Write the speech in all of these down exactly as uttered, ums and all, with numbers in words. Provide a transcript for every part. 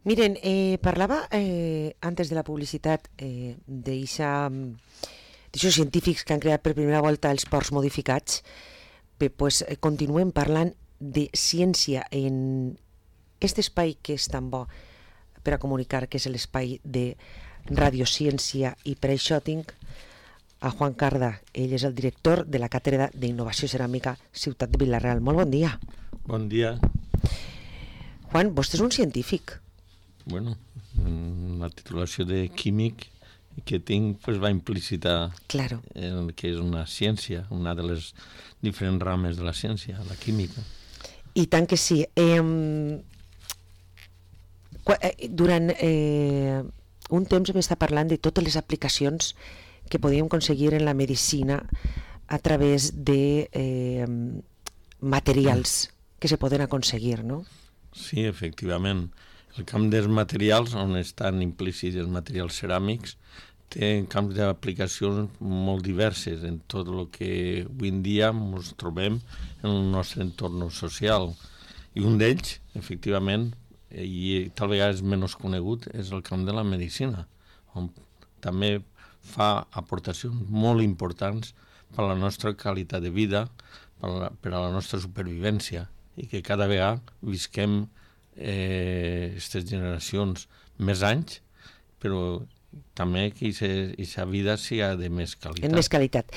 Miren, eh, parlava eh, antes de la publicitat eh, d'aixòs científics que han creat per primera volta els porcs modificats. Bé, pues, eh, continuem parlant de ciència en aquest espai que és tan bo per a comunicar, que és l'espai de radiociència, i per això tinc a Juan Carda. Ell és el director de la Càtedra d'Innovació Ceràmica Ciutat de Vila-real. Molt bon dia. Bon dia. Juan, vostè és un científic. Bueno, la titulació de químic que tinc pues, va implícita claro. en que és una ciència, una de les diferents rames de la ciència, la química. I tant que sí. Eh, durant eh, un temps vam estar parlant de totes les aplicacions que podíem aconseguir en la medicina a través de eh, materials que se poden aconseguir, no? Sí, efectivament. El camp dels materials, on estan implícits els materials ceràmics, té camps d'aplicacions molt diverses en tot el que avui en dia ens trobem en el nostre entorn social. I un d'ells, efectivament, i tal vegada és menys conegut, és el camp de la medicina, on també fa aportacions molt importants per a la nostra qualitat de vida, per a la, per a la nostra supervivència, i que cada vegada visquem aquestes eh, generacions més anys, però també que aquesta vida sigui de més qualitat. En més qualitat.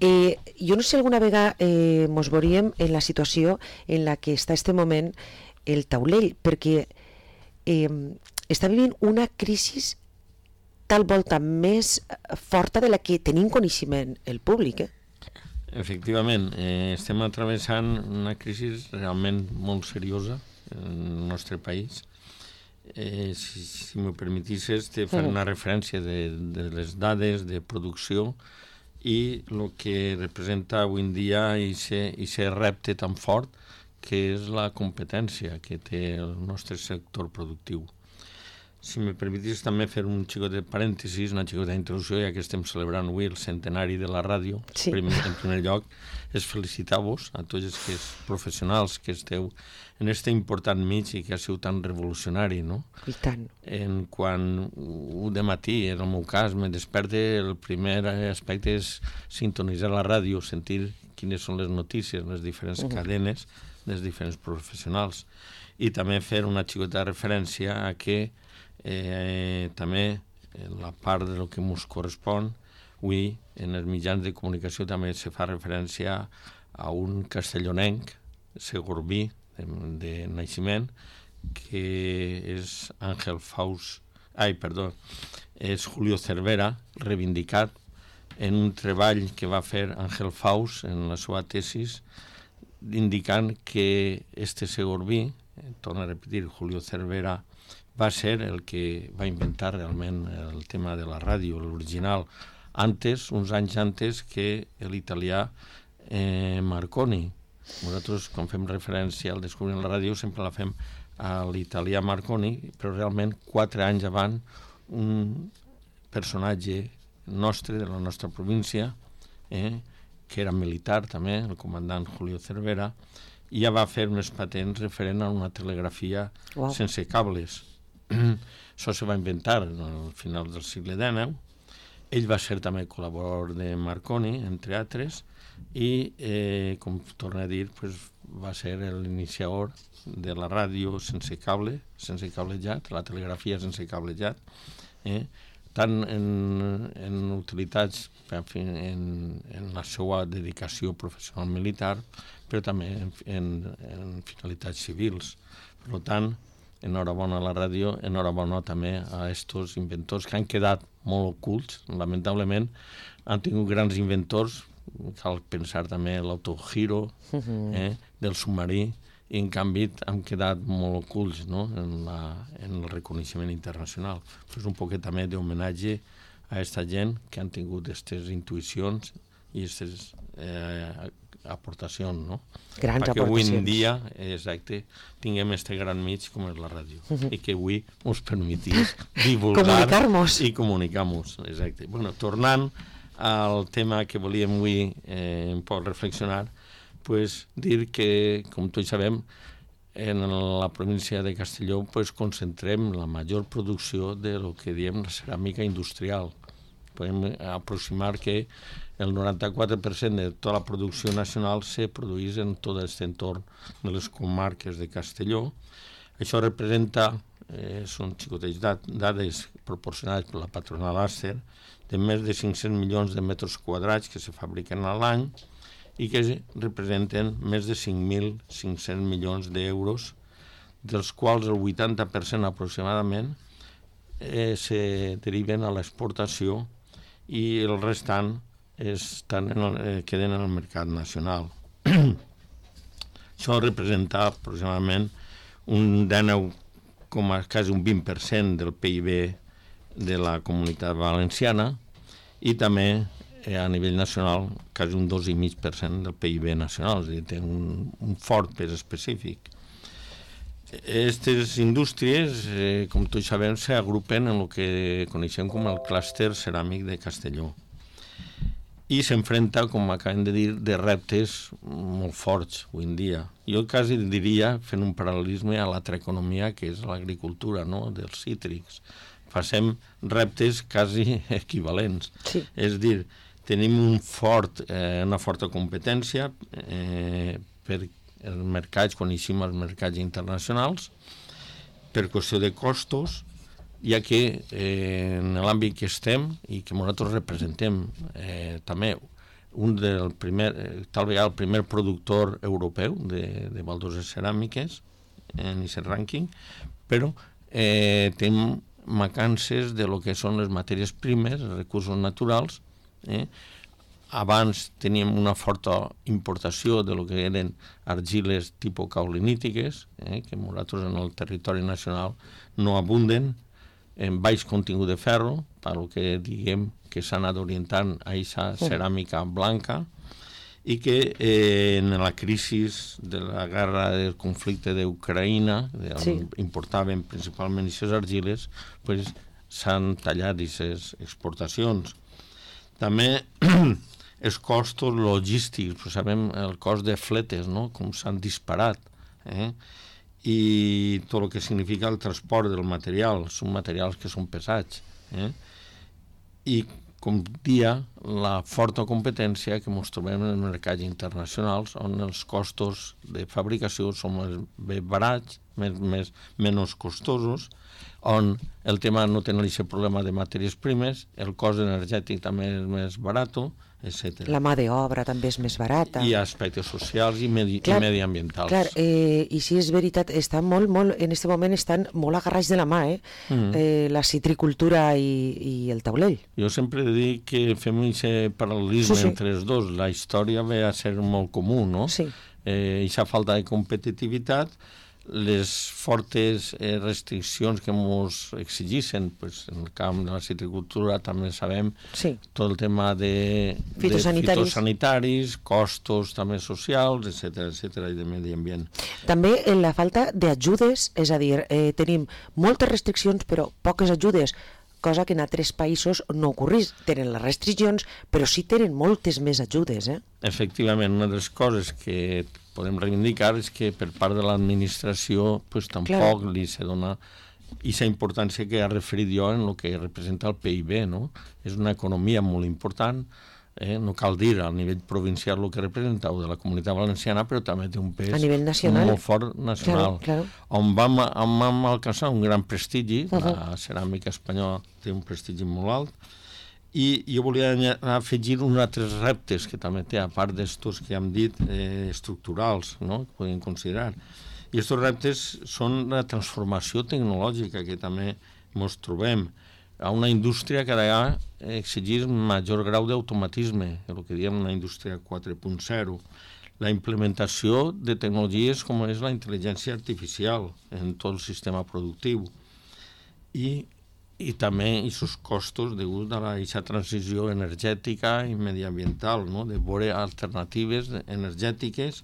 Eh, jo no sé, alguna vegada eh, mos veuríem en la situació en la que està este moment el taulell, perquè eh, està vivint una crisi tal volta més forta de la que tenim coneixement el públic, eh? Efectivament, eh, estem atravessant una crisi realment molt seriosa en el nostre país. Eh, si si m'ho permetisses, te faré una referència de, de les dades de producció i el que representa avui en dia aquest repte tan fort que és la competència que té el nostre sector productiu. Si me permetis també fer un xicot de parèntesis, una xicota d'introducció, ja que estem celebrant avui el centenari de la ràdio. Sí. Primer, en primer lloc, és felicitar-vos a tots els professionals que esteu en aquest important mig i que ha sigut tan revolucionari, no? I tant. En quan un de matí, en el meu cas, me desperte, el primer aspecte és sintonitzar la ràdio, sentir quines són les notícies, les diferents uh-huh. cadenes dels diferents professionals. I també fer una xicota referència a que Eh, també en la part del que ens correspon, avui en els mitjans de comunicació també se fa referència a un castellonenc, segorbí, de, de naixement, que és Àngel Faus, ai, perdó, és Julio Cervera, reivindicat en un treball que va fer Àngel Faus en la seva tesis, indicant que este segorbí, eh, torno a repetir, Julio Cervera, va ser el que va inventar realment el tema de la ràdio, l'original, antes, uns anys antes que l'italià eh, Marconi. Nosaltres, quan fem referència al descobriment de la ràdio, sempre la fem a l'italià Marconi, però realment, quatre anys abans, un personatge nostre, de la nostra província, eh, que era militar també, el comandant Julio Cervera, ja va fer unes patents referent a una telegrafia wow. sense cables. Això se va inventar al final del segle dinou. Ell va ser també col·laborador de Marconi, entre altres, i, eh, com torno a dir, pues, va ser l'iniciador de la ràdio sense cable, sense cablejat, la telegrafia sense cablejat, eh, tant en, en utilitats, en, en la seva dedicació professional militar, però també en, en, en finalitats civils. Per tant, enhorabona a la ràdio, enhorabona també a aquests inventors que han quedat molt ocults, lamentablement. Han tingut grans inventors, cal pensar també en l'autogiro, eh, del submarí, i en canvi han quedat molt ocults, no? en, la, en el reconeixement internacional. És un poquet també d'homenatge a aquesta gent que han tingut aquestes intuïcions i aquestes eh, aportacions, no? Grans perquè aportacions. avui en dia, exacte, tinguem este gran mig com és la ràdio, uh-huh. i que avui ens permetís divulgar comunicar-nos i comunicar-nos, exacte. Bueno, tornant al tema que volíem avui eh, un poc reflexionar, pues, dir que, com tots sabem, en la província de Castelló pues, concentrem la major producció de lo que diem la ceràmica industrial. Podem aproximar que el noranta-quatre per cent de tota la producció nacional se produeix en tot aquest entorn de les comarques de Castelló. Això representa, eh, són xicotets dades proporcionades per la patronal Acer, de més de cinc-cents milions de metres quadrats que se fabriquen a l'any i que representen més de cinc mil cinc-cents milions d'euros, dels quals el vuitanta per cent aproximadament eh, se deriven a l'exportació i el restant estan en el, eh, queden en el mercat nacional. Això representa aproximadament un dinou, quasi un vint per cent del P I B de la Comunitat Valenciana i també eh, a nivell nacional quasi un dos coma cinc per cent del P I B nacional, és a dir, té un, un fort pes específic. Aquestes indústries, eh, com tots sabem, s'agrupen en el que coneixem com el clúster ceràmic de Castelló i s'enfrenta, com acabem de dir, de reptes molt forts avui en dia. Jo quasi diria, fent un paral·lelisme a l'altra economia, que és l'agricultura, no?, dels cítrics. Facem reptes quasi equivalents. Sí. És dir, tenim un fort, eh, una forta competència eh, per els mercats, coneixem els mercats internacionals, per qüestió de costos, ja que eh, en l'àmbit que estem i que nosaltres representem eh, també un del primer, eh, tal vegada el primer productor europeu de, de baldoses ceràmiques en aquest rànquing, però eh, tenim mancances de lo que són les matèries primes, els recursos naturals. Eh? Abans teníem una forta importació de lo que eren argiles tipus caulinítiques, eh? que nosaltres en el territori nacional no abunden, en baix contingut de ferro, per lo que diguem que s'ha anat orientant a aquesta ceràmica blanca, i que eh, en la crisi de la guerra del conflicte d'Ucraïna, on sí. importaven principalment aquestes argiles, pues, s'han tallat aquestes exportacions. També els costos logístics, pues, sabem el cost de fletes, no?, com s'han disparat, eh? I tot el que significa el transport del material, són materials que són pesats. Eh? I, com dia, la forta competència que ens trobem en els mercats internacionals, on els costos de fabricació són més barats, més, més, menys costosos, on el tema no tenen aquest problema de matèries primes, el cost energètic també és més barat, etcètera. La mà d'obra també és més barata. I aspectes socials i, medi clar, i mediambientals. Clar, eh, i sí, és veritat, estan molt, molt, en aquest moment estan molt agarrats de la mà, eh? Mm. eh la citricultura i, i el taulell. Jo sempre dic que fem aquest paral·lelisme sí, sí. entre els dos. La història ve a ser molt comú, no? Sí. Eh, aquesta falta de competitivitat, les fortes eh, restriccions que ens exigeixen, pues, en el camp de la citricultura també sabem sí. tot el tema de fitosanitaris, de fitosanitaris costos també socials, etcètera, etcètera, i de medi ambient. També en la falta d'ajudes, és a dir, eh, tenim moltes restriccions però poques ajudes, cosa que en altres països no ocorreix. Tenen les restriccions, però sí tenen moltes més ajudes. Eh? Efectivament, una de les coses que podem reivindicar és que per part de l'administració pues, tampoc claro. li se dona aquesta importància que ha referit jo en el que representa el P I B. No? És una economia molt important, eh? no cal dir a nivell provincial el que representa o de la Comunitat Valenciana, però també té un pes a nivell nacional. molt fort nacional, claro, claro. on vam, on vam alcançar un gran prestigi. Uh -huh. La ceràmica espanyola té un prestigi molt alt, i jo volia afegir uns altres reptes que també té, a part d'estos que hem dit, eh, estructurals, no?, que podem considerar. I aquests reptes són la transformació tecnològica que també ens trobem. A una indústria que ha d'exigir major grau d'automatisme, el que diem una indústria quatre punt zero. La implementació de tecnologies com és la intel·ligència artificial en tot el sistema productiu. I i també aquests costos degut a aquesta transició energètica i mediambiental, no? de veure alternatives energètiques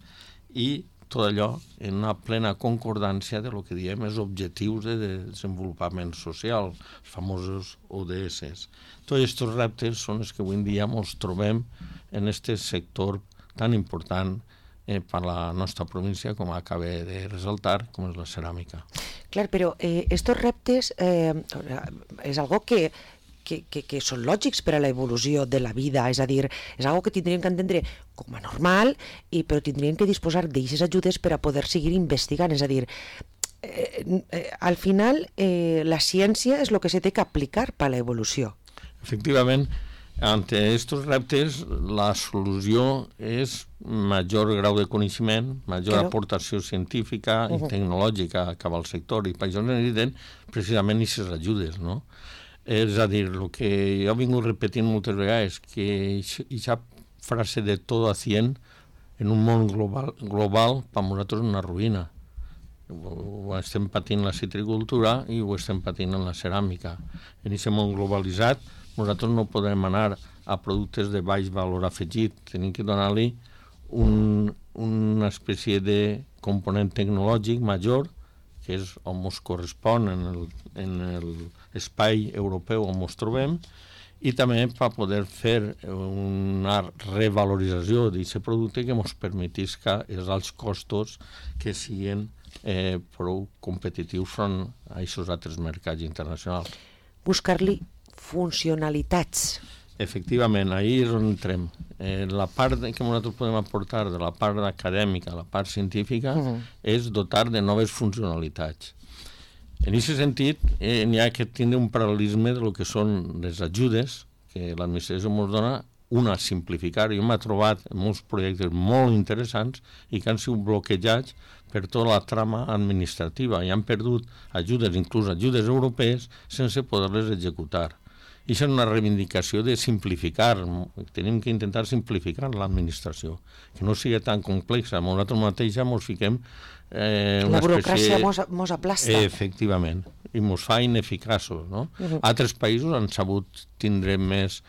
i tot allò en una plena concordància de lo que diem els objectius de desenvolupament social, els famosos O D S. Tots aquests reptes són els que avui en dia ens trobem en aquest sector tan important eh, per la nostra província, com acaba de resaltar, com és la ceràmica. Clar, però eh, estos reptes eh, és algo que Que, que, que són lògics per a l'evolució de la vida, és a dir, és algo que tindríem que entendre com a normal, i, però tindríem que disposar d'aquestes ajudes per a poder seguir investigant, és a dir, eh, eh, al final eh, la ciència és el que se té que aplicar per a l'evolució. Efectivament, ante estos reptes la solució és major grau de coneixement, major claro. aportació científica i uh -huh. tecnològica cap al sector, i per això necessiten precisament aquestes ajudes, no? És a dir, el que jo he vingut repetint moltes vegades, que aquesta frase de todo a cien en un món global, global per nosaltres és una ruïna. Ho estem patint la citricultura i ho estem patint en la ceràmica. En aquest món globalitzat nosaltres no podem anar a productes de baix valor afegit, tenim que donar-li un, una espècie de component tecnològic major, que és on ens correspon en l'espai europeu on ens trobem, i també per poder fer una revalorització d'aquest producte que ens permetisca els alts costos que siguin eh, prou competitius front a aquests altres mercats internacionals. Buscar-li funcionalitats. Efectivament, ahir és on entrem. Eh, la part que nosaltres podem aportar de la part acadèmica, la part científica, uh-huh. és dotar de noves funcionalitats. En aquest sentit, eh, n'hi ha que tindre un paral·lelisme del que són les ajudes que l'administració ens dona, una, simplificar. Jo m'he trobat molts projectes molt interessants i que han sigut bloquejats per tota la trama administrativa i han perdut ajudes, inclús ajudes europees, sense poder-les executar. I això és una reivindicació de simplificar. Tenim que intentar simplificar l'administració, que no sigui tan complexa. Nosaltres mateixa ens fiquem eh, una la burocràcia espècie... mos aplasta. Eh, efectivament, i ens fa ineficaços, no? Uh-huh. Altres països han sabut tindre més...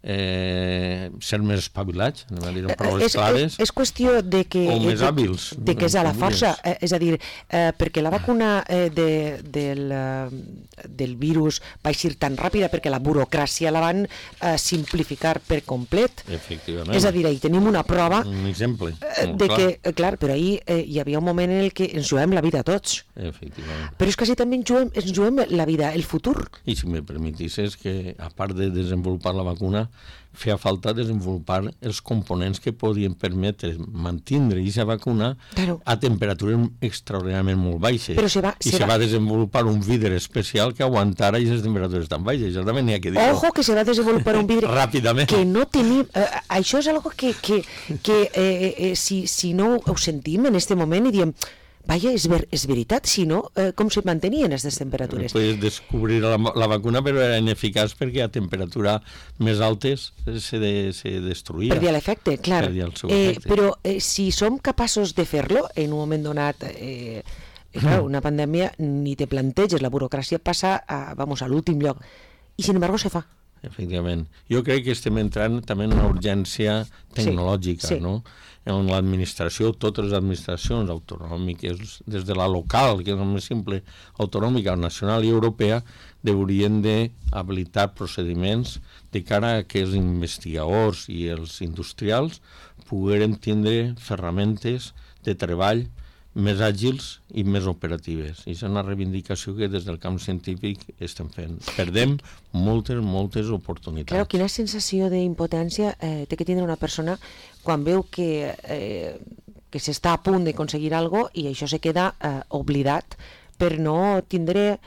Eh, ser més espavilats, anem a dir en paraules és, clares, és, és qüestió de que, o més de, hàbils. De que és a la força, eh, és a dir, eh, perquè la vacuna eh, de, del, eh, del virus va eixir tan ràpida perquè la burocràcia la van eh, simplificar per complet. Efectivament. És a dir, ahir tenim una prova un exemple, eh, de clar. que, eh, clar, però ahir eh, hi havia un moment en el que ens juguem la vida tots. Efectivament. Però és que així també ens juguem, ens juguem la vida, el futur. I si me permetisses que, a part de desenvolupar la vacuna, feia falta desenvolupar els components que podien permetre mantindre aquesta vacuna claro. a temperatures extraordinàriament molt baixes. Però se va, I se, se va... va desenvolupar un vidre especial que aguantara aquestes temperatures tan baixes. Això també n'hi ha que dir. Ojo, que se va desenvolupar un vidre ràpidament. Que no tenim... Eh, això és algo que, que, que eh, eh, si, si no ho sentim en este moment i diem... Vaja, és, ver, és veritat, si no, eh, com se mantenien aquestes temperatures? Puedes descobrir la, la vacuna, però era ineficaç perquè a temperatura més altes se, de, se destruïa. Perdia l'efecte, clar. Perdia el seu eh, efecte. Però eh, si som capaços de fer-lo en un moment donat, eh, eh, clar, una pandèmia, ni te planteges, la burocràcia passa a, vamos, a l'últim lloc. I sin embargo se fa. Efectivament. Jo crec que estem entrant també en una urgència tecnològica, sí, sí. no? En l'administració, totes les administracions autonòmiques, des de la local, que és el més simple, autonòmica, nacional i europea, haurien d'habilitar procediments de cara a que els investigadors i els industrials pogueren tindre ferramentes de treball més àgils i més operatives. I és una reivindicació que des del camp científic estem fent. Perdem moltes, moltes oportunitats. Claro, quina sensació d'impotència eh, té que tindre una persona quan veu que, eh, que s'està a punt d'aconseguir alguna cosa i això se queda eh, oblidat per no tindre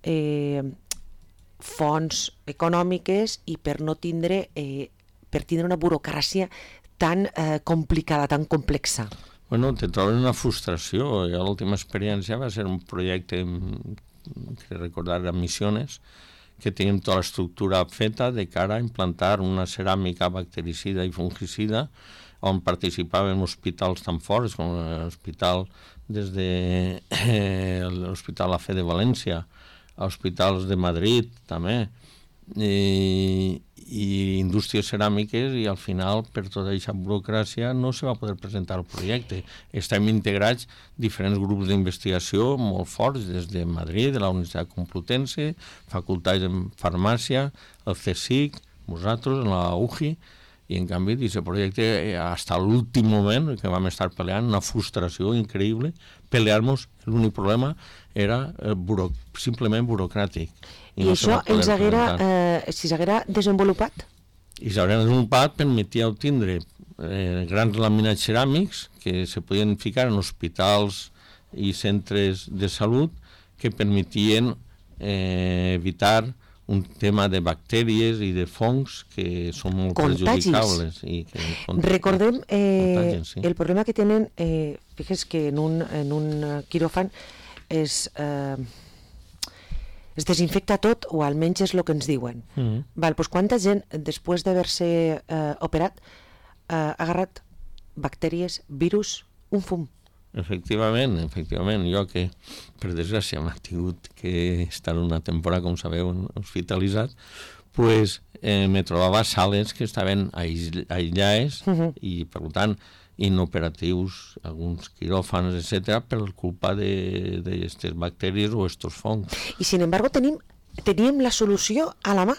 eh, fonts econòmiques i per no tindre, eh, per tindre una burocràcia tan eh, complicada, tan complexa. Bueno, te troben una frustració. Jo l'última experiència va ser un projecte que recordar a Missiones, que teníem tota l'estructura feta de cara a implantar una ceràmica bactericida i fungicida on participaven hospitals tan forts com l'hospital des de eh, l'Hospital A F E de València, hospitals de Madrid també, i, i indústries ceràmiques, i al final per tota aquesta burocràcia no se va poder presentar el projecte. Estem integrats diferents grups d'investigació molt forts des de Madrid, de la Universitat Complutense, facultats de farmàcia, el CSIC, nosaltres, la U J I, I en canvi, aquest projecte, fins a l'últim moment que vam estar peleant, una frustració increïble, pelear-nos, l'únic problema era eh, buro, simplement burocràtic. I, I no això ens haguera, eh, si s'haguera desenvolupat? I s'haguera desenvolupat, permetia obtindre eh, grans laminats ceràmics que se podien ficar en hospitals i centres de salut que permetien eh, evitar un tema de bactèries i de fongs que són molt contagis. Perjudicables. I que cont... Recordem eh, sí. el problema que tenen, eh, fixes que en un, en un quiròfan es, eh, es desinfecta tot, o almenys és el que ens diuen. Mm-hmm. Val, doncs quanta gent, després d'haver-se eh, operat, eh, ha agarrat bactèries, virus, un fum? Efectivament, efectivament. Jo que, per desgràcia, m'ha tingut que estar una temporada, com sabeu, hospitalitzat, pues, eh, me trobava sales que estaven aïllades uh-huh. i, per tant, inoperatius, alguns quiròfans, etcètera, per culpa d'aquestes bactèries o estos fongs. I, sin embargo, tenim, teníem la solució a la mà.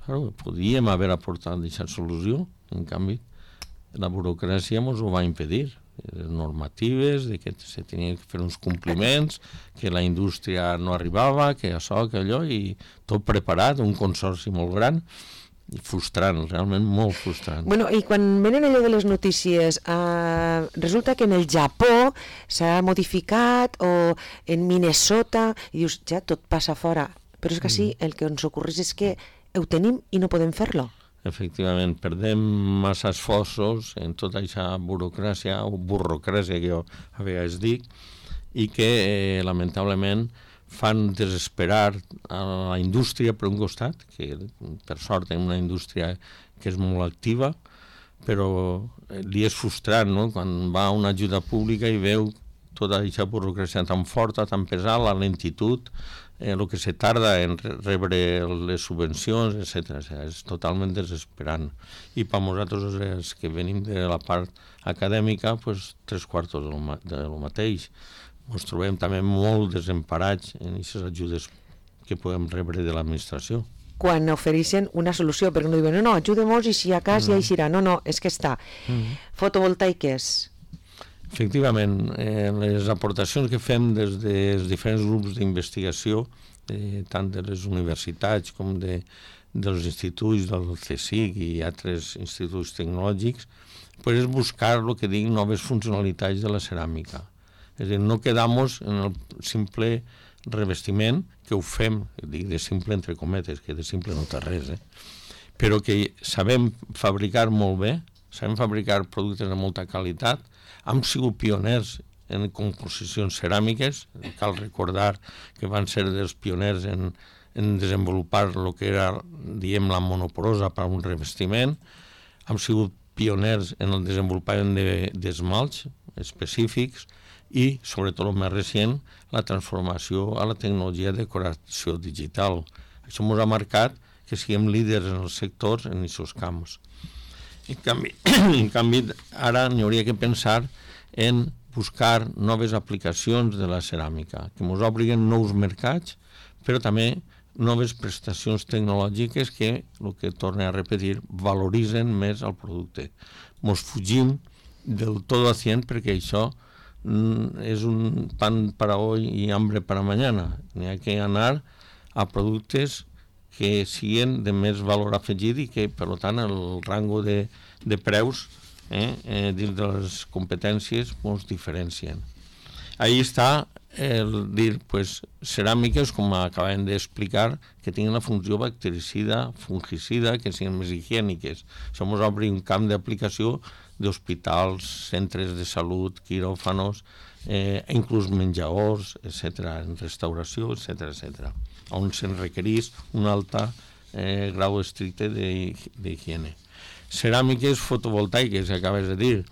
Claro, podíem haver aportat aquesta solució, en canvi, la burocràcia ens ho va impedir. Normatives, de que se tenien que fer uns compliments, que la indústria no arribava, que això, que allò, i tot preparat, un consorci molt gran, i frustrant, realment molt frustrant. Bueno, i quan venen allò de les notícies, eh, resulta que en el Japó s'ha modificat, o en Minnesota, i dius, ja, tot passa fora. Però és que sí, el que ens ocorreix és que ho tenim i no podem fer-lo. Efectivament, perdem massa esforços en tota aquesta burocràcia o burocràcia que jo a vegades dic, i que eh, lamentablement fan desesperar a la indústria per un costat, que per sort és una indústria que és molt activa, però li és frustrant, no?, quan va a una ajuda pública i veu tota aquesta burocràcia tan forta, tan pesada, la lentitud, el eh, que se tarda en rebre les subvencions, etcètera. O sigui, és totalment desesperant. I per nosaltres, els que venim de la part acadèmica, pues, tres quarts del, ma del mateix. Ens trobem també molt desemparats en aquestes ajudes que podem rebre de l'administració. Quan ofereixen una solució, perquè no diuen, no, no, ajudem-nos i si a cas no. ja hi serà. No, no, és que està. Mm-hmm. Fotovoltaiques. Efectivament, eh, les aportacions que fem des dels diferents grups d'investigació, eh, tant de les universitats com de, dels instituts del CSIC i altres instituts tecnològics, pues és buscar el que dic noves funcionalitats de la ceràmica. És a dir, no quedar-nos en el simple revestiment, que ho fem, dic de simple entre cometes, que de simple no té res, eh? Però que sabem fabricar molt bé, sabem fabricar productes de molta qualitat, hem sigut pioners en composicions ceràmiques, cal recordar que van ser dels pioners en, en desenvolupar el que era, diem, la monoporosa per a un revestiment, hem sigut pioners en el desenvolupament d'esmalts específics i, sobretot el més recent, la transformació a la tecnologia de decoració digital. Això ens ha marcat que siguem líders en els sectors en aquests camps. En canvi, en canvi ara n'hi hauria que pensar en buscar noves aplicacions de la ceràmica, que ens obliguen nous mercats, però també noves prestacions tecnològiques que, el que torne a repetir, valoritzen més el producte. Ens fugim del tot a cien perquè això mm, és un pan para hoy i hambre para mañana. N'hi ha que anar a productes que siguin de més valor afegit i que, per tant, el rango de, de preus eh, eh, dins de les competències ens diferencien. Ahí està el dir, pues, ceràmiques, com acabem d'explicar, que tinguin la funció bactericida, fungicida, que siguin més higièniques. Això ens obre un camp d'aplicació d'hospitals, centres de salut, quiròfanos, eh, inclús menjadors, etcètera, en restauració, etcètera, etcètera, on se'n requereix un alt eh, grau estricte d'higiene. Ceràmiques fotovoltaiques, que acabes de dir,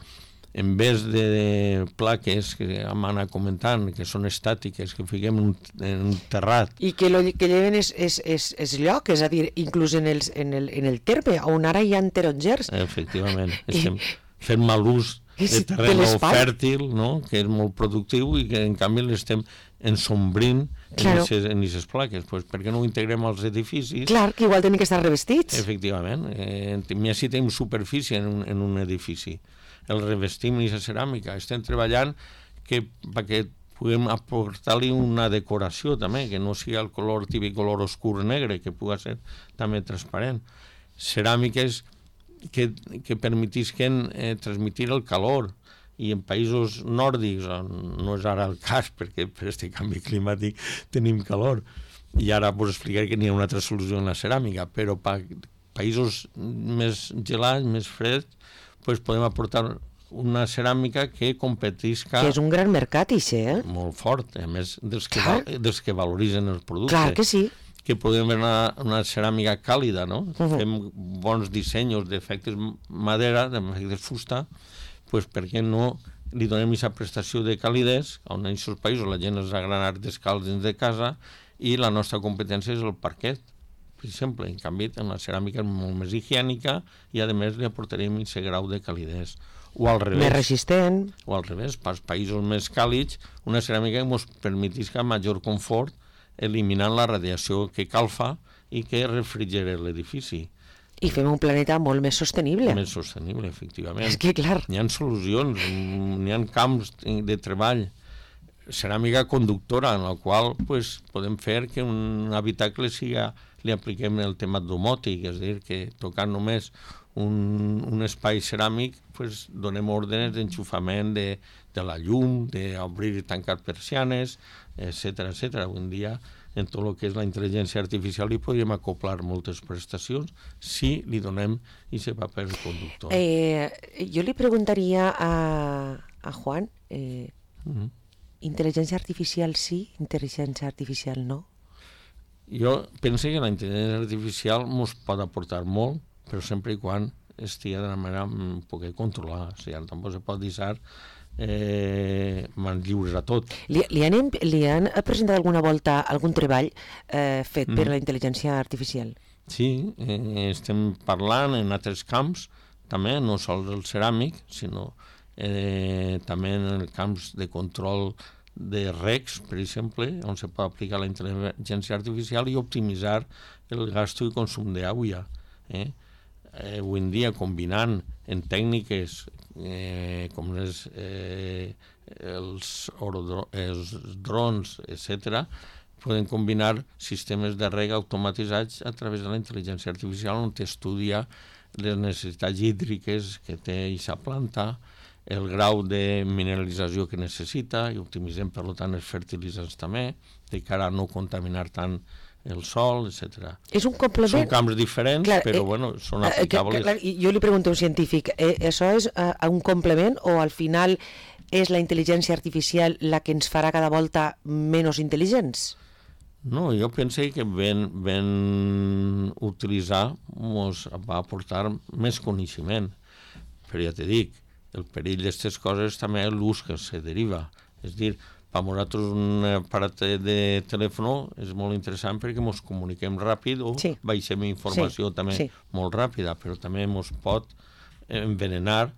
en vez de plaques que hem anat comentant, que són estàtiques, que fiquem en un, en un terrat. I que el que lleven és, és, és, és lloc, és a dir, inclús en, els, en, el, en el terme, on ara hi ha tarongers. Efectivament, estem fent mal ús de terreny fèrtil, no? Que és molt productiu i que en canvi l'estem ensombrint claro. en aquestes plaques. Pues, per què no ho integrem als edificis? Clar, que igual tenen que estar revestits. Efectivament. Eh, ja si tenim superfície en un, en un edifici. El revestim en aquesta ceràmica. Estem treballant que, perquè puguem aportar-li una decoració també, que no sigui el color típic color oscur negre, que pugui ser també transparent. Ceràmiques que, que permetisquen eh, transmitir el calor, i en països nòrdics, no és ara el cas, perquè per aquest canvi climàtic tenim calor, i ara us explicaré que n'hi ha una altra solució en la ceràmica, però per països més gelats, més freds, pues podem aportar una ceràmica que competisca... Que és un gran mercat, ixe, eh? Molt fort, a més dels que, val, dels que valoritzen els productes. Clar que sí. Que podem veure una, una ceràmica càlida, no? Uh -huh. Fem bons dissenys d'efectes madera, d'efectes fusta, pues per què no li donem aquesta prestació de calidesa, on en aquests països la gent es agrana descalç dins de casa i la nostra competència és el parquet, per exemple. En canvi, en la ceràmica és molt més higiènica i, a més, li aportarem aquest grau de calidesa. O al revés. Més resistent. O al revés, pels països més càlids, una ceràmica que ens permetisca major confort eliminant la radiació que calfa i que refrigera l'edifici. I fem un planeta molt més sostenible. Més sostenible, efectivament. És que, clar... N'hi ha solucions, n'hi ha camps de treball. Ceràmica conductora, en la qual pues, podem fer que un habitacle siga, li apliquem el tema domòtic, és a dir, que tocant només un, un espai ceràmic pues, donem ordres d'enxufament de, de la llum, d'obrir i tancar persianes, etcètera, etcètera. Avui en dia, en tot el que és la intel·ligència artificial, li podríem acoplar moltes prestacions si li donem aquest paper conductor. Eh, jo li preguntaria a, a Juan, eh, uh -huh. intel·ligència artificial sí, intel·ligència artificial no? Jo penso que la intel·ligència artificial ens pot aportar molt, però sempre i quan estigui d'una manera un poc controlada. O sigui, tampoc se pot deixar eh, mans lliures a tot. Li, li, han, li han presentat alguna volta algun treball eh, fet mm. per la intel·ligència artificial? Sí, eh, estem parlant en altres camps, també, no sols el ceràmic, sinó eh, també en els camps de control de recs, per exemple, on se pot aplicar la intel·ligència artificial i optimitzar el gasto i consum d'aigua. Eh? Eh, avui en dia, combinant en tècniques eh, com les, eh, els, orodro, els drons, etcètera, poden combinar sistemes de reg automatitzats a través de la intel·ligència artificial, on t'estudia les necessitats hídriques que té aquesta planta, el grau de mineralització que necessita, i optimitzem, per tant, els fertilitzants també, de cara a no contaminar tant el sol, etcètera. És un complement... Són camps diferents, clar, però, eh, bueno, són aplicables. Clar, jo li pregunto a un científic, eh, això és eh, un complement o al final és la intel·ligència artificial la que ens farà cada volta menys intel·ligents? No, jo penso que ben, ben utilitzar ens va aportar més coneixement. Però ja te dic, el perill d'aquestes coses també és l'ús que se deriva. És a dir, per nosaltres un aparat de telèfon és molt interessant perquè ens comuniquem ràpid o sí. baixem informació sí. també sí. molt ràpida, però també ens pot envenenar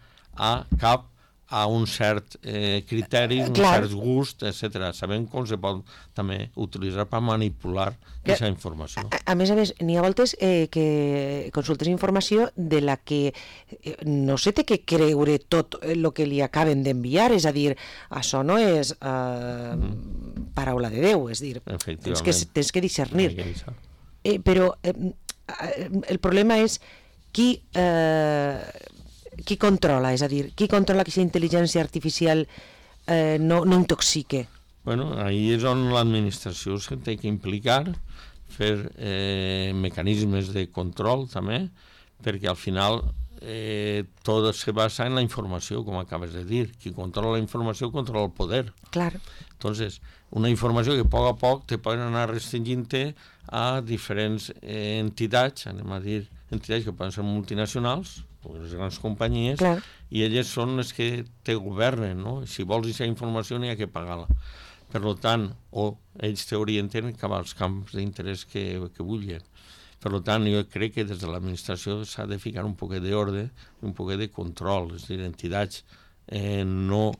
a cap a un cert eh, criteri, un Clar. cert gust, etcètera. Sabem com se pot també utilitzar per manipular aquesta informació. A, a més a més, n'hi ha voltes eh, que consultes informació de la que eh, no se té que creure tot el que li acaben d'enviar, és a dir, això no és eh, mm. paraula de Déu, és dir, tens que, tens que discernir. Que eh, però eh, el problema és qui... Eh, qui controla, és a dir, qui controla que aquesta intel·ligència artificial eh, no, no intoxique? Bueno, ahí és on l'administració se té que implicar, fer eh, mecanismes de control també, perquè al final eh, tot se basa en la informació, com acabes de dir. Qui controla la informació controla el poder. Clar. Entonces, una informació que a poc a poc te poden anar restringint a diferents eh, entitats, anem a dir, entitats que poden ser multinacionals, les grans companyies, Clar. I elles són les que te governen, no? Si vols aquesta informació n'hi ha que pagar-la. Per tant, o ells t'orienten cap als camps d'interès que, que vulguin. Per tant, jo crec que des de l'administració s'ha de ficar un poquet d'ordre i un poquet de control, és a dir, entitats eh, no,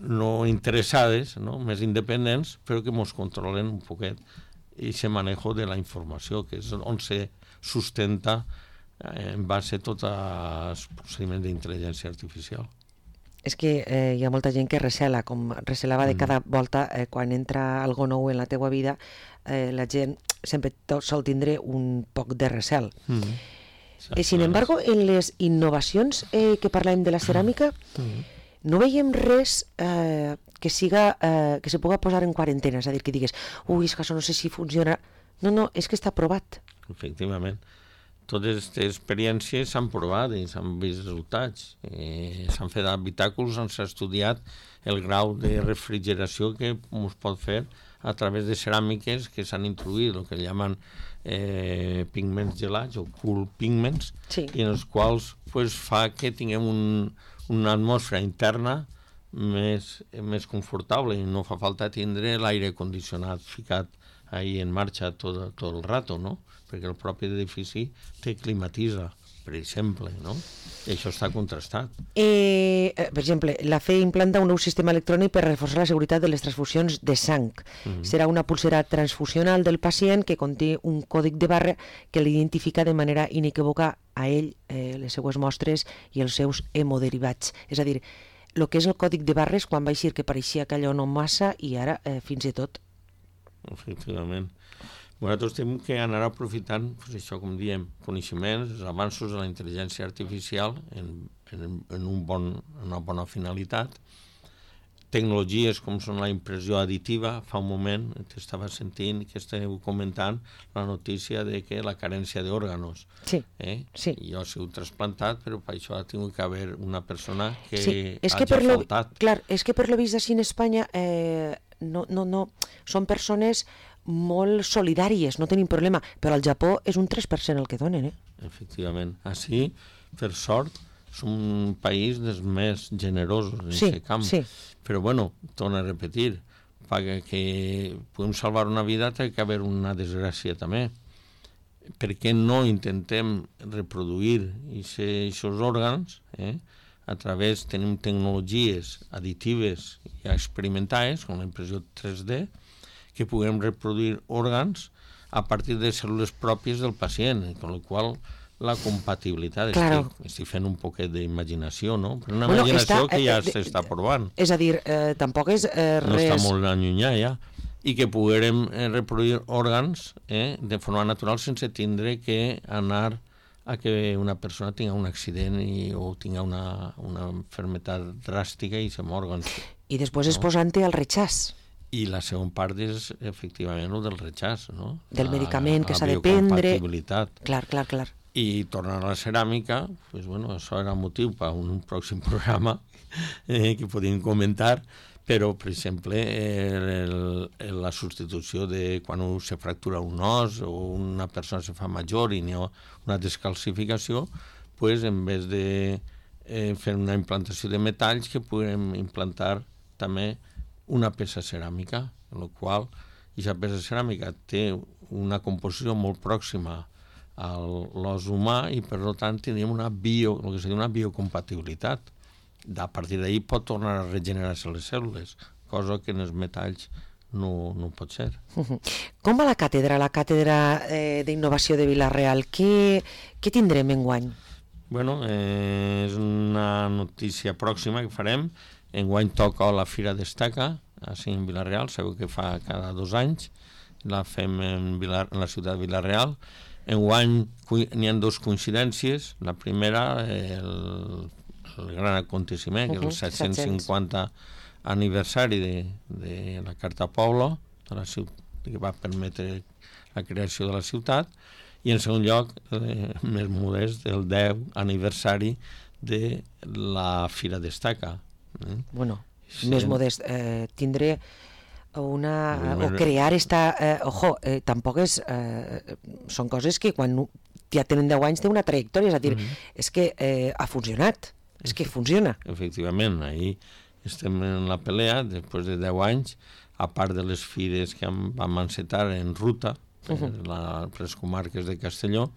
no interessades, no? Més independents, però que ens controlen un poquet aquest manejo de la informació, que és on se sustenta eh, en base a tots els procediments d'intel·ligència artificial. És que eh, hi ha molta gent que recela, com recelava de cada volta eh, quan entra algo nou en la teua vida, eh, la gent sempre sol tindre un poc de recel. Mm. Eh, sin embargo, en les innovacions eh, que parlem de la ceràmica, mm. no veiem res eh, que siga eh, que se puga posar en quarantena, és a dir, que digues, ui, és que això no sé si funciona. No, no, és que està provat. Efectivament. Totes aquestes experiències s'han provat i s'han vist resultats. Eh, s'han fet habitàculs on s'ha estudiat el grau de refrigeració que es pot fer a través de ceràmiques que s'han introduït, el que llaman eh, pigments gelats o cool pigments, sí. I en els quals pues, fa que tinguem un, una atmosfera interna més, més confortable i no fa falta tindre l'aire condicionat ficat ahí en marxa tot, tot el rato, no? Perquè el propi edifici te climatitza, per exemple, no? I això està contrastat. Eh, per exemple, la F E implanta un nou sistema electrònic per reforçar la seguretat de les transfusions de sang. Mm-hmm. Serà una pulsera transfusional del pacient que conté un còdic de barra que l'identifica de manera inequívoca a ell, eh, les seues mostres i els seus hemoderivats. És a dir, el que és el còdic de barres quan va eixir que pareixia que allò no massa i ara eh, fins i tot. Efectivament. Nosaltres tenim que anar aprofitant, pues això, com diem, coneixements, els avanços de la intel·ligència artificial en, en, en un bon, una bona finalitat. Tecnologies com són la impressió additiva. Fa un moment t'estava sentint que esteu comentant la notícia de que la carència d'òrganos. Sí, eh? sí. Jo he sigut trasplantat, però per això ha tingut que haver una persona que sí. És hagi que per faltat. Lo, clar, és que per lo vist així en Espanya eh, no, no, no, són persones molt solidàries, no tenim problema, però al Japó és un tres per cent el que donen, eh? Efectivament. Així, per sort, som un país dels més generosos en sí, aquest camp. Sí. Però, bueno, torno a repetir, perquè que puguem salvar una vida té que haver una desgràcia també. Per què no intentem reproduir aquests òrgans, eh? A través, tenim tecnologies additives i experimentades, com la impressió tres D, que puguem reproduir òrgans a partir de cèl·lules pròpies del pacient, amb la qual la compatibilitat, claro. estic, estic fent un poquet d'imaginació, no? Però una bueno, imaginació està, que ja eh, s'està provant. És a dir, eh, tampoc és eh, res... No està molt allunyà ja. I que puguem eh, reproduir òrgans eh, de forma natural sense tindre que anar a que una persona tinga un accident i, o tinga una, una malaltia dràstica i se morguen. I després no? És posant-te al rechaç. I la segona part és, efectivament, el del rechaç, no? Del la, medicament que s'ha de prendre. La biocompatibilitat. Clar, clar, clar. I tornant a la ceràmica, pues, bueno, això era motiu per un pròxim programa eh, que podíem comentar, però, per exemple, el, el, la substitució de quan se fractura un os o una persona se fa major i n'hi ha una descalcificació, pues, en vez de eh, fer una implantació de metalls, que puguem implantar també una peça ceràmica, en la qual aquesta peça ceràmica té una composició molt pròxima a l'os humà i, per tant, tindríem una, bio, el que seria una biocompatibilitat. A partir d'ahir pot tornar a regenerar-se les cèl·lules, cosa que en els metalls no, no pot ser. Com va la càtedra, la càtedra eh, d'Innovació de Vila-real? Què, què tindrem enguany? Bueno, eh, és una notícia pròxima que farem. Enguany toca la Fira Destaca, així en Vila-real, sabeu que fa cada dos anys, la fem en, Vila, en la ciutat de Vila-real. Enguany n'hi ha dues coincidències. La primera, el, el gran aconteciment, uh-huh, que és el set-cents cinquanta aniversari de, de la Carta Pobla, de la ciutat, que va permetre la creació de la ciutat, i en segon lloc, eh, més modest, el deu aniversari de la Fira Destaca. Eh? Bueno, sí. Més modest. Eh, tindré una... Bueno, o crear esta... Eh, ojo, eh, tampoc és... Eh, són coses que quan ja tenen deu anys té una trajectòria, és a dir, uh-huh. és que eh, ha funcionat, és que funciona. Efectivament, ahir estem en la pelea, després de deu anys, a part de les fires que vam encetar en ruta, uh-huh. per, la, per les comarques de Castelló,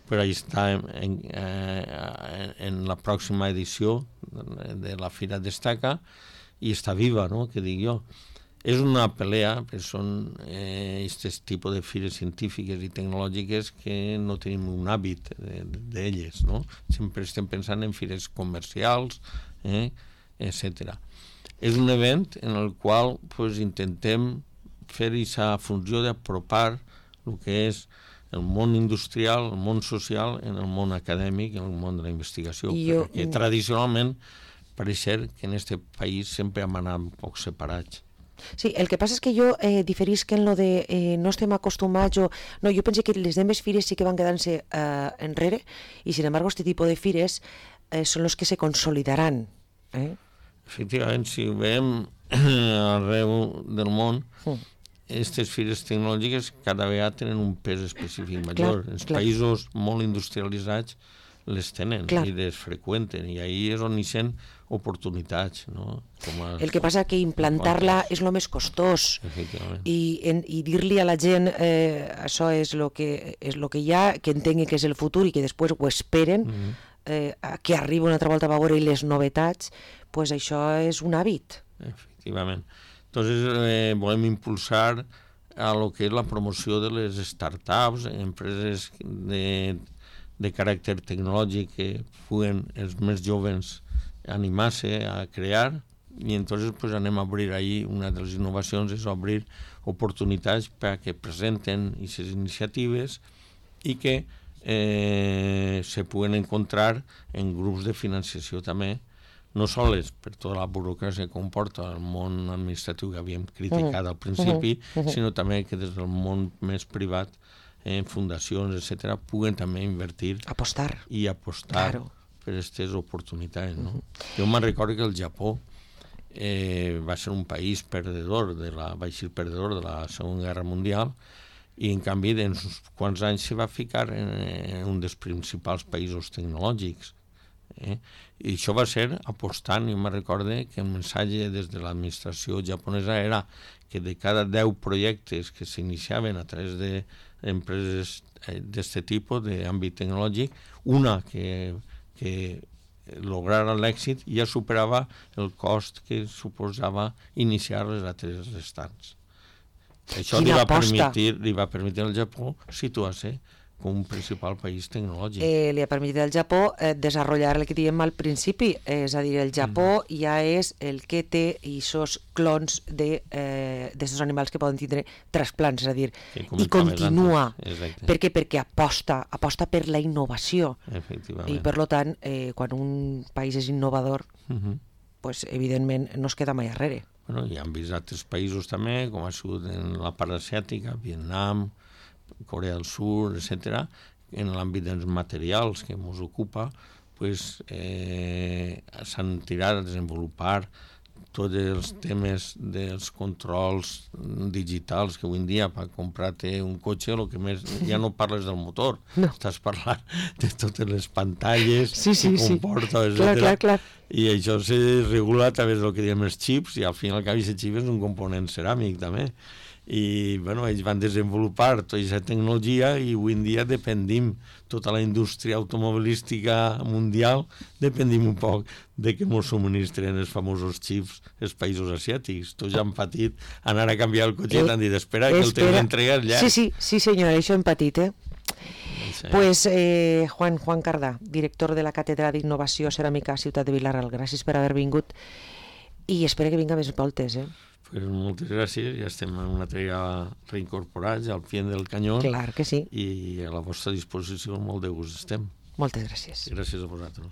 però ahí està en, en, eh, en la pròxima edició de la Fira Destaca i està viva, no?, que dic jo. És una pelea, perquè són aquest eh, tipus de fires científiques i tecnològiques que no tenim un hàbit d'elles, no? Sempre estem pensant en fires comercials, eh, etcètera. És un event en el qual pues, intentem fer aquesta funció d'apropar el que és el món industrial, el món social, en el món acadèmic, en el món de la investigació, jo... perquè tradicionalment pareix ser que en aquest país sempre hem anat un poc separats. Sí, el que passa és que jo eh, diferisc en lo de eh, no estem acostumats o... No, jo penso que les demés fires sí que van quedant-se eh, enrere i, sin embargo, este tipus de fires eh, són los que se consolidaran. Eh? Efectivament, si ho veiem arreu del món, aquestes mm. fires tecnològiques cada vegada tenen un pes específic major. Clar, Els clar. països molt industrialitzats les tenen clar. I les freqüenten, i ahí és on hi sent oportunitats, no? Com a, el que passa que implantar-la és el més costós i, en, i dir-li a la gent eh, això és el que, és lo que hi ha, que entengui que és el futur i que després ho esperen, mm-hmm. eh, que arriba una altra volta a veure les novetats, pues això és un hàbit. Efectivament. Entonces eh, volem impulsar a lo que és la promoció de les startups, empreses de, de caràcter tecnològic que puguen els més joves animar-se a crear, i entonces pues, anem a obrir ahí, una de les innovacions és obrir oportunitats perquè presenten aquestes iniciatives i que eh, se puguen encontrar en grups de financiació també, no sols per tota la burocràcia que comporta el món administratiu que havíem criticat uh-huh. al principi, uh-huh. sinó també que des del món més privat, en eh, fundacions, etcètera, puguen també invertir apostar i apostar claro. per aquestes oportunitats. No? Uh-huh. Jo me'n recordo que el Japó eh, va ser un país perdedor, de la, va ser perdedor de la Segona Guerra Mundial, i en canvi en uns quants anys se va ficar en, en un dels principals països tecnològics. Eh? I això va ser apostant. Jo me'n recordo que el missatge des de l'administració japonesa era que de cada deu projectes que s'iniciaven a través d'empreses d'aquest tipus d'àmbit tecnològic, una que que lograra l'èxit ja superava el cost que suposava iniciar les altres restants. Això li va, permetir, li va permetre al Japó situar-se com un principal país tecnològic. Eh, li ha permès al Japó eh, desenvolupar el que diem al principi, és a dir, el Japó mm. ja és el que té aquests clons de eh, d'aquests animals que poden tindre trasplants, és a dir, i continua. Per què? Perquè aposta, aposta per la innovació. I per tant, eh, quan un país és innovador, mm-hmm. pues, evidentment no es queda mai arrere. Bueno, i han vist altres països també, com ha sigut en la part asiàtica, Vietnam, Corea del Sur, etcètera, en l'àmbit dels materials que ens ocupa, pues, eh, s'han tirat a desenvolupar tots els temes dels controls digitals, que avui en dia per comprar-te un cotxe el que més, ja no parles del motor, no. Estàs parlant de totes les pantalles sí, sí, que comporta, sí. Clar, clar, clar. I això se regula a través del que diem els xips, i al final al cap aquest xip és un component ceràmic també. I bueno, ells van desenvolupar tota aquesta tecnologia i avui en dia dependim, tota la indústria automobilística mundial dependim un poc de que ens subministren els famosos xips els països asiàtics. Tots ja han patit anar a canviar el cotxe i t'han dit espera, que el temps d'entrega és llarg. Sí, sí, sí senyor, això hem patit, eh? Sí. Pues eh, Juan, Juan Cardà, director de la Càtedra d'Innovació Ceràmica Ciutat de Vilaral, gràcies per haver vingut i espero que vinga més voltes, eh? Pues moltes gràcies, ja estem en una altra reincorporats al pie del canyó. Clar que sí. I a la vostra disposició molt de gust estem. Moltes gràcies. Gràcies a vosaltres.